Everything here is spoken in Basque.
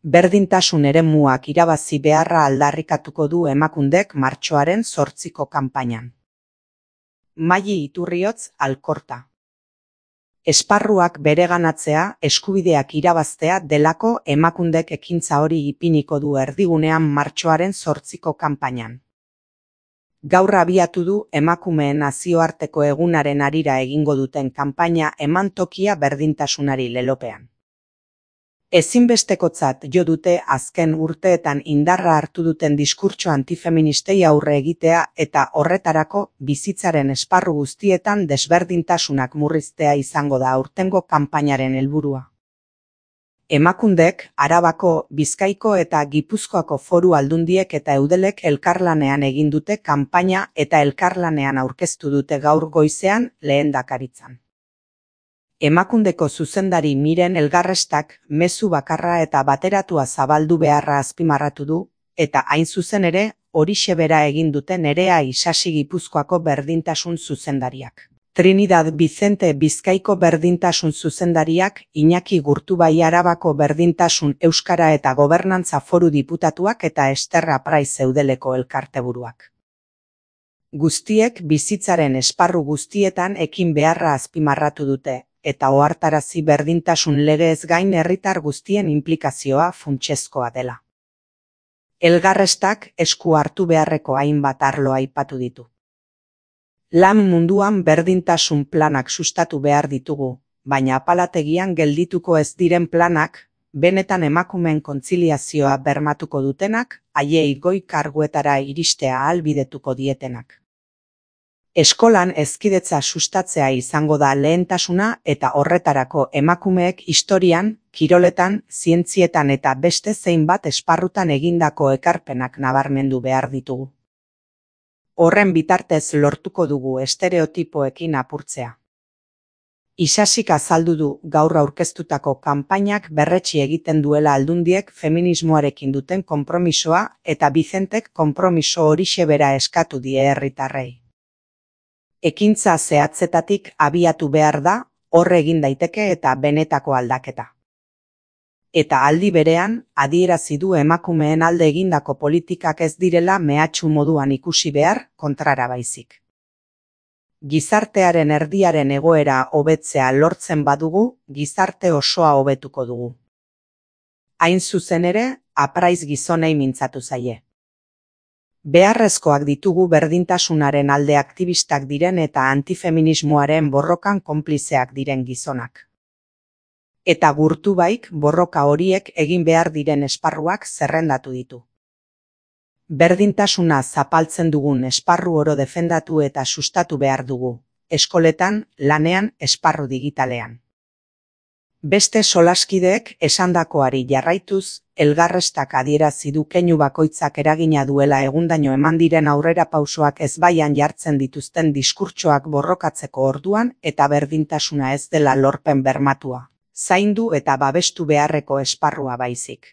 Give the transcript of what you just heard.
Berdintasun eremuak irabazi beharra aldarrikatuko du Emakundek martxoaren 8ko kanpainan. Maili Iturriotz, Alkorta. Esparruak bereganatzea, eskubideak irabaztea delako Emakundek ekintza hori ipiniko du erdigunean martxoaren 8ko kanpainan. Gaur abiatu du emakumeen nazioarteko egunaren harira egingo duten kanpaina Eman tokia berdintasunari lelopean. Ezinbestekotzat jo dute azken urteetan indarra hartu duten diskurtso antifeministei aurre egitea eta horretarako bizitzaren esparru guztietan desberdintasunak murriztea izango da aurtengo kanpainaren helburua. Emakundek Arabako, Bizkaiko eta Gipuzkoako foru aldundiek eta eudelek elkarlanean egin dute kanpaina eta elkarlanean aurkeztu dute gaur goizean lehendakaritzan. Emakundeko zuzendari Miren Elgarrestak mezu bakarra eta bateratua zabaldu beharra azpimarratu du, eta hain zuzen ere, horixe bera egin dute Nerea Isasi Gipuzkoako berdintasun zuzendariak. Trinidad Vicente Bizkaiko berdintasun zuzendariak, Iñaki Gurtubai Arabako berdintasun euskara eta gobernantza foru diputatuak eta Ester Apraiz eudeleko elkarteburuak. Guztiek bizitzaren esparru guztietan ekin beharra azpimarratu dute, eta ohartarazi berdintasun legez gain herritar guztien inplikazioa funtsezkoa dela. Elgarrestak esku hartu beharreko hainbat arlo aipatu ditu. Lan munduan berdintasun planak sustatu behar ditugu, baina apalategian geldituko ez diren planak, benetan emakumeen kontziliazioa bermatuko dutenak, haiei goi karguetara iristea ahalbidetuko dietenak. Eskolan hezkidetza sustatzea izango da lehentasuna eta horretarako emakumeek historian, kiroletan, zientzietan eta beste zeinbat esparrutan egindako ekarpenak nabarmendu behar ditugu. Horren bitartez lortuko dugu estereotipoekin apurtzea. Isasik azaldu du gaur aurkeztutako kanpainak berretsi egiten duela aldundiek feminismoarekin duten konpromisoa eta Vicentek konpromiso horixe bera eskatu die herritarrei. Ekintza zehatzetatik abiatu behar da, hor egin daiteke eta benetako aldaketa. Eta aldi berean, adierazi du emakumeen alde egindako politikak ez direla mehatxu moduan ikusi behar, kontrara baizik. Gizartearen erdiaren egoera hobetzea lortzen badugu, gizarte osoa hobetuko dugu. Hain zuzen ere, Apraiz gizonei mintzatu zaie. Beharrezkoak ditugu berdintasunaren alde aktivistak diren eta antifeminismoaren borrokan konplizeak diren gizonak. Eta Gurtubaik borroka horiek egin behar diren esparruak zerrendatu ditu. Berdintasuna zapaltzen dugun esparru oro defendatu eta sustatu behar dugu, eskoletan, lanean, esparru digitalean. Beste solaskideek esandakoari jarraituz, Elgarrestak adierazi du keinu bakoitzak eragina duela egundaino eman diren aurrerapausoak ezbaian jartzen dituzten diskurtsoak borrokatzeko orduan eta berdintasuna ez dela lorpen bermatua, zaindu eta babestu beharreko esparrua baizik.